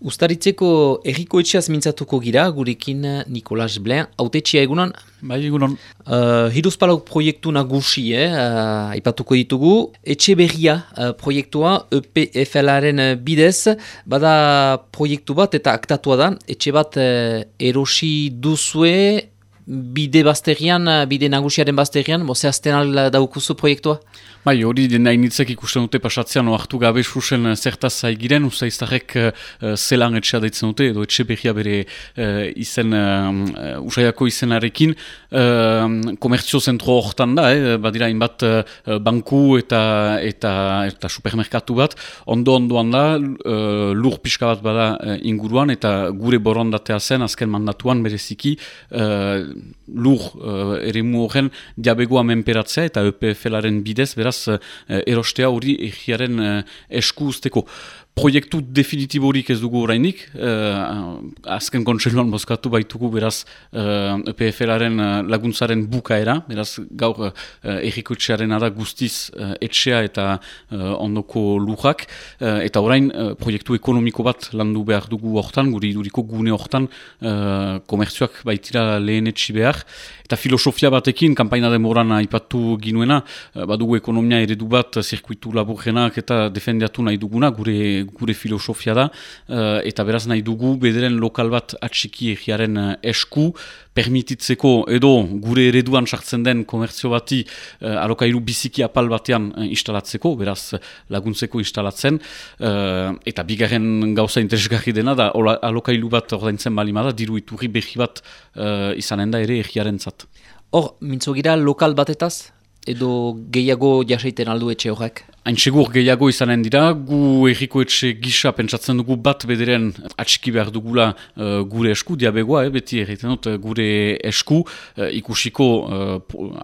Uztaritzeko erriko etxeaz mintzatuko gira, gurekin Nicolas Blain, autetxia egunon? Bai, egunon. Hiruzpalau proiektu nagusi, aipatuko ditugu. Etxe berria proiektua EPFL-aren bidez, bada proiektu bat eta aktatua da. Etxe bat erosi duzue, bide nagusiaren bazterian, zehazten al daukuzu proiektua? Bai, hori den hainitzek ikusten dute pasatzean oartu gabe susen zertaz zaigiren, usaiztarrek zelan etxea daitzen dute, edo etxe berria bere izen, usaiako izenarekin, komertzio zentro hortan da, badira hainbat banku eta supermerkatu bat, ondoan da, lur pixka bat bada inguruan, eta gure borondatea zen, azken mandatuan bereziki, lur eremu horren diabegoa menperatzea eta EPFL-aren bidez, beraz, erostea hori egiaren esku usteko. Proiektu definitiborik ez dugu orainik, azken kontseiluan bozkatu baitugu beraz EPFL-aren laguntzaren bukaera, beraz gaur errikoetxearen da guztiz etxea eta ondoko lujak, eta orain proiektu ekonomiko bat landu behar dugu hortan, guri iduriko gune hortan komertzioak baitira lehen etxi behar, eta filosofia batekin, kanpaina demoran aipatu ginuena, badugu ekonomia eredu bat, zirkuitu laburrenak eta defendiatu nahi duguna, gure filosofia da, eta beraz nahi dugu bederen lokal bat atxiki egiaren esku, permititzeko edo gure ereduan sartzen den komertzio bati alokailu biziki apal batean instalatzeko, beraz laguntzeko instalatzen, eta bigarren gauza interesgarri dena da alokailu bat ordaintzen balimada, diru iturri behi bat izanen da ere egiaren zat. Hor, mintzogira lokal batetaz, edo gehiago jasaiten aldu etxe horrek? Hain segur gehiago izanen dira, gu erriko etxe gisa pentsatzen dugu bat bederen atxiki behar dugula gure esku, diabegoa, beti erreiten dut gure esku, ikusiko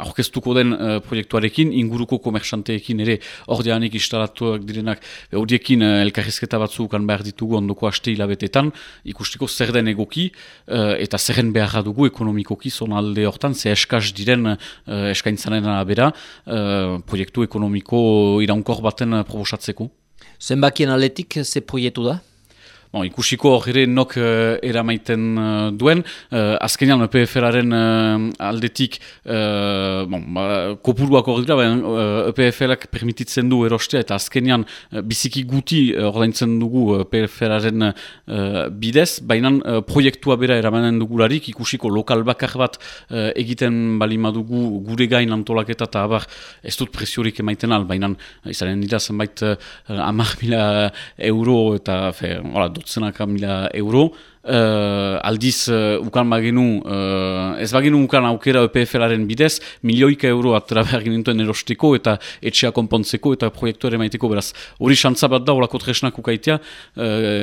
aurkeztuko den proiektuarekin, inguruko komerxanteekin ere ordeanik instalatuak direnak, horiekin elkarrizketa batzukan behar ditugu ondoko haste hilabetetan, ikustiko zer den egoki, eta zerren beharra dugu ekonomikoki zonalde hortan, ze eskaz diren eskaintzaren arabera, proiektu ekonomiko iraunko baten proposatzeko. Zenbakien aletik ze proiektu da? Ikusiko hori nok eramaiten duen, azkenean EPFL-aren aldetik kopuruak hori dira, EPFL-ak permititzen du erostea eta azkenean biziki guti ordaintzen dugu EPFL-aren bidez, baina proiektua bera eramanen dugularik, ikusiko lokal bakar bat egiten balima dugu gure gain antolaketa eta abar ez dut presiorik emaiten al, baina izanen dira zenbait 10.000 euro eta dotzenaka mila euro, aldiz ukan bagenu, ez bagenu ukan aukera EPFL-aren bidez, milioika euro atera behar ginituen erosteko eta etxea konpontzeko eta proiektuare maiteko, beraz. Hori xantza bat da, olako tresnak ukaitea,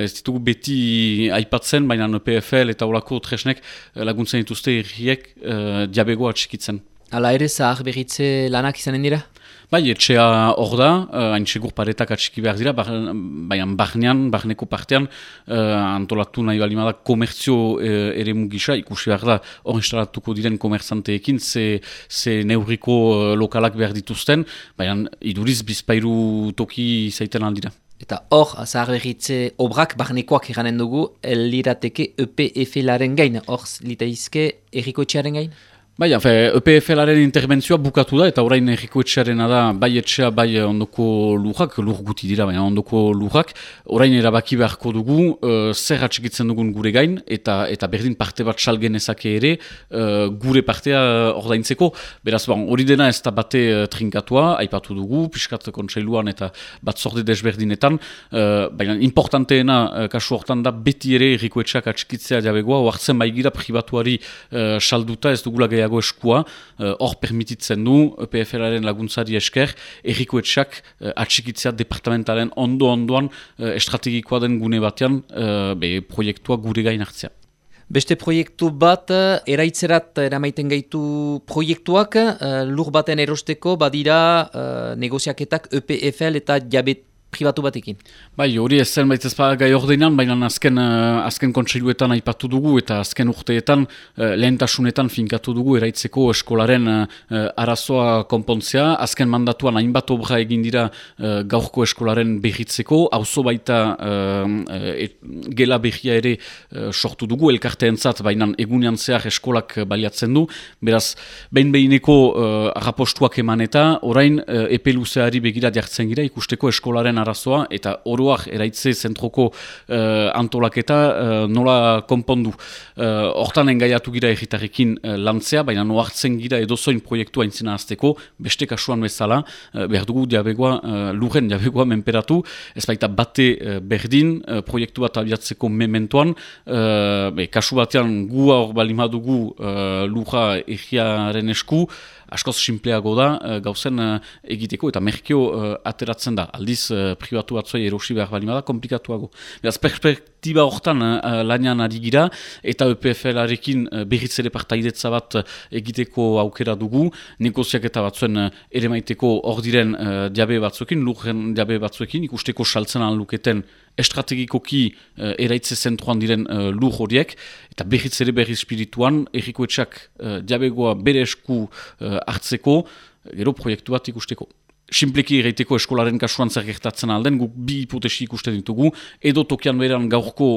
ez ditugu beti aipatzen, baina EPFL eta olako tresnek laguntzen dituzte erriek diabegoa txikitzen. Hala ere, zahar berritze lanak izanen dira? Bai, etxea hor da, hain segur paretak atxiki behar dira, baina barneko partean, antolatu nahi balimada komertzio eremu gisa, ikusi behar da, hor instalatuko diren komerzanteekin, ze neurriko lokalak behar dituzten, baina iduriz bizpairu toki zaiten aldira. Eta hor, zahar berritze obrak barnekoak eranen dugu, lirateke EPFL-aren gain, hor litaizke errikoetxearen gain? Bai, EPFL-aren interbentzioa bukatu da, eta orain errikoetxearena da, bai etxea, bai ondoko lujak, lur guti dira, baina ondoko lujak, orain erabaki beharko dugu, zer atxikitzen dugun gure gain, eta berdin parte bat salgen ezake ere, gure partea ordaintzeko, beraz, hori dena ez da bate trinkatua, aipatu dugu, piskat kontseiluan eta batzorde desberdinetan, baina importanteena kasu hortan da, beti ere errikoetxeak atxikitzea jabegoa, oartzen baigira pribatuari salduta, ez dugula gehiago eskua, hor permititzen du EPFL-aren laguntzari esker, errikoetxeak atxikitzea departamentaren ondoan estrategikoa den gune batean proiektua gure gain hartzea. Beste proiektu bat, eraitzerat eramaiten gaitu proiektuak, lur baten erosteko badira negoziaketak EPFL eta pribatu batekin. Bai, hori ez zen baitez gai ordenan, baina azken kontseiluetan aipatu dugu eta azken urteetan lehentasunetan finkatu dugu eraitzeko eskolaren arazoa konpontzea. Azken mandatuan hainbat obra egin dira gaurko eskolaren behitzeko, auzo baita gela behia ere sortu dugu elkarteentzat, baina egunean zehar eskolak baliatzen du. Beraz, behin-behineko arrapostuak eman eta orain epe luzeari begira jartzen gira ikusteko eskolaren arazoa eta oroak eraitze zentroko antolaketa nola konpondu. Hortan engaiatu gira egitarrekin lantzea, baina noartzen gira edozoin proiektua intzina azteko, beste kasuan bezala, behar dugu lurren diabegoa menperatu, ez baita bate berdin proiektu bat abiatzeko mementoan, kasu batean gu hor balimadugu lurra egiaren esku, askoz simpleago da gauzen egiteko eta merkeo ateratzen da. Aldiz pribatu batzuei erosi behar balimada, komplikatuago. Beraz, perspektiba hortan lanian ari gira eta EPFL-arekin berriz ere partaidetza bat egiteko aukera dugu. Negoziaketa batzuen ere maiteko hor diren diabe batzuekin, lurren diabe batzuekin, ikusteko saltzen luketen estrategikoki eraitze zentroan diren lur horiek, eta berriz ere berriz espirituan, errikoetxak diabegoa bere esku hartzeko, gero proiektu bat ikusteko. Simpleki erraiteko eskolaren kasuan zer gertatzen alden, guk bi hipotesi ikusten ditugu, edo tokian beran gaurko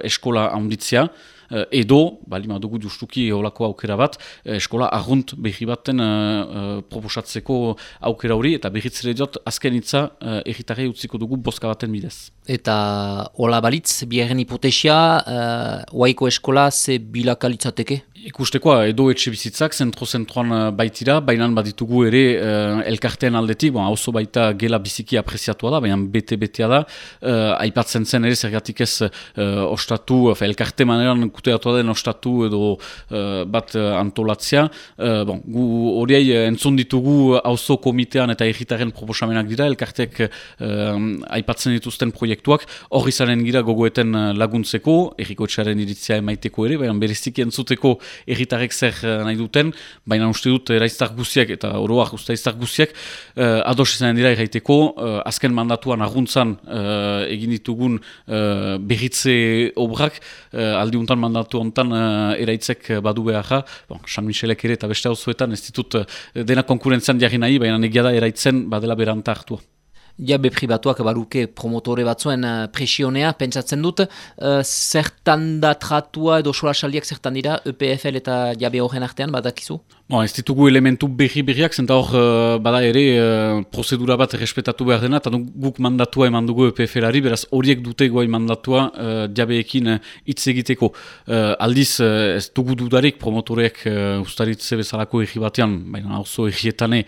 eskola handitzea, edo, balima dugu justuki olako aukera bat, eskola arrunt behi baten proposatzeko aukera hori, eta berriz ere diot, azken hitza erritarrei utziko dugu bozka baten bidez. Eta hola balitz, biherren hipotesia, Oaiko eskola ze bilakalitzateke? Ikustekoa, edo etxe bizitzak, zentroan baitira, baina baditugu ere elkartean aldetik, auzo baita gela biziki apreziatua da, baina bete-betea da, aipatzen zen ere zergatik ez ostatu, elkarte maneran kuteatua den ostatu edo bat antolatzea. Gu horiei entzun ditugu auzo komitean eta egitaren proposamenak dira, elkartek aipatzen dituzten proiektuak, hor izanen gira gogoeten laguntzeko, errikoetxearen iritzia emaiteko ere, baina bereziki entzuteko erritarrek zer nahi duten, baina uste dut eraiztar guziak eta oroak ustaiztar guziak ados izanen dira erraiteko, azken mandatuan arguntzan egin ditugun berritze obrak, aldiuntan mandatu hontan eraitzek badu beharra, San Michelek ere eta beste auzoetan ez ditut dena konkurentzian jarri nahi, baina negia da eraitzen badela beranta hartua. Jabe pribatuak baruke promotore batzuen presionea, pentsatzen dut, zertan da tratua edo solasaldiak zertan dira EPFL eta jabe horren artean, badakizu? Ez ditugu elementu berriak, zenta hor bada ere prozedura bat errespetatu behar dena, eta guk mandatua eman dugu EPFL-ari, beraz horiek dute goai mandatua jabeekin hitz egiteko. Aldiz ez dugu dudarik promotoreek ustaritze bezalako erri batean, baina oso errietane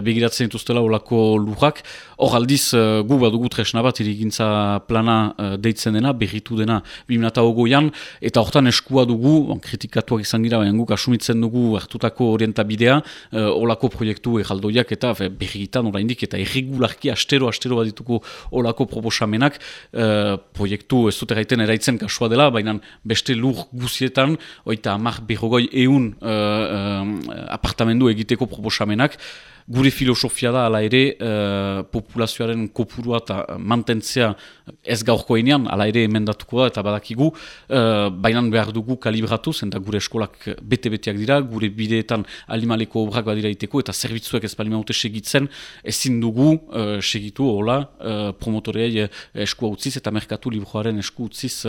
begiratzen dituztela olako lurrak. Hor aldiz gu badugu tresna bat irigintza plana deitzen dena, berritu dena 2008an, eta hortan eskua dugu, kritikatuak izan gira, baina guk asumitzen dugu hartutako orientabidea, olako proiektu erraldoiak eta berrigitan oraindik eta erregularki astero bat dituko olako proposamenak, proiektu ez dut erraiten eraitzen kasua dela, baina beste lur guzietan, oita 100 apartamendu egiteko proposamenak, gure filosofia da, ala ere, populazioaren kopurua eta mantentzea ez gaurkoenean, ala ere emendatuko da eta badakigu, baina behar dugu kalibratu, zenta gure eskolak bete-beteak dira, gure bideetan alimaleko obrak badira iteko, eta zerbitzuek ez balimaute segitzen, ezin dugu segitu, hola, promotoreei eskua utziz eta merkatu libroaren esku utziz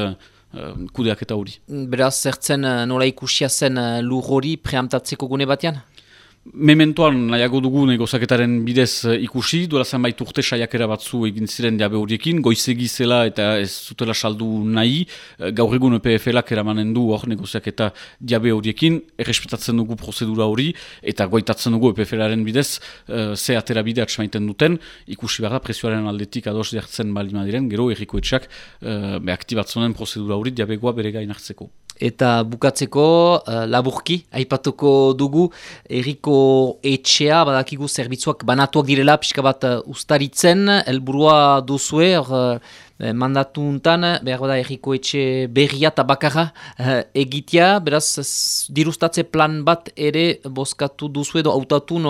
kudeaketa hori. Beraz, zertzen nola ikusia zen lur hori preamtatzeko gune batean? Mementoan nahiago dugu negozaketaren bidez ikusi, duela zenbait urte saiakera batzu egin ziren jabe horiekin, goizegi zela eta ez zutela saldu nahi, gaur egun EPFL-ak eramanen du hor negoziaketa jabe horiekin, errespetatzen dugu prozedura hori, eta goitatzen dugu EPFL-aren bidez, ze atera bide atxamaiten duten, ikusi behar da presioaren aldetik ados jartzen balima diren, gero errikoetxak aktibatzonen prozedura hori jabegoa bere gain hartzeko. Eta bukatzeko, laburki, aipatuko dugu, erriko etxea, badakigu zerbitzuak banatuak direla, pixka bat ustaritzen, helburua duzue, Mandatu untan, behar da erriko etxe berria eta bakarra egitea, beraz dirustatze plan bat ere bozkatu duzu edo hautatu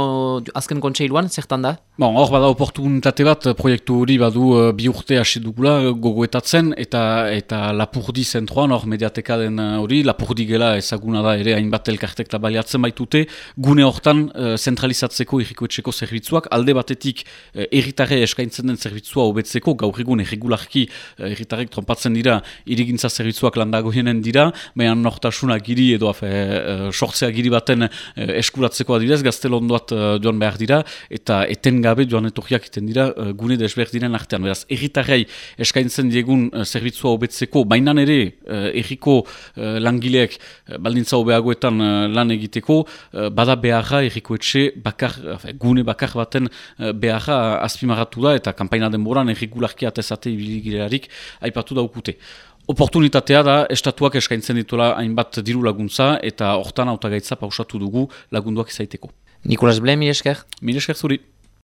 azken kontseiluan, zertan da? Bon, hor bada oportunitate bat, proiektu hori badu 2 urte hasi dugula gogoetatzen, eta Lapurdi zentroan, hor mediateka den hori, Lapurdi gela ezaguna da ere hainbat elkartek baliatzen baitute, gune hortan zentralizatzeko irrikoetxeko zerbitzuak, alde batetik herritarre eskaintzen den zerbitzua hobetzeko, gaur egun erregularki herritarrek trompatzen dira, irigintza zerbitzuak landagoienen dira, baina nortasuna giri edo sortzea giri baten eskuratzeko adibidez, gaztelondoat joan behar dira, eta eten gabe joan etorriak iten dira gune desberdinen artean. Beraz, erritarrei eskaintzen diegun zerbitzua hobetzeko, bainan ere erriko langileek baldintza hobeagoetan lan egiteko, bada beharra errikoetxe gune bakar baten beharra azpimarratu da, eta kanpaina denboran errigularki atezate ibiligilearik aipatu daukute. Oportunitatea da, estatuak eskaintzen dituela hainbat diru laguntza, eta hortan hautagaitza pausatu dugu lagunduak izaiteko. Nikolas Ble, mire esker? Mire esker zuri.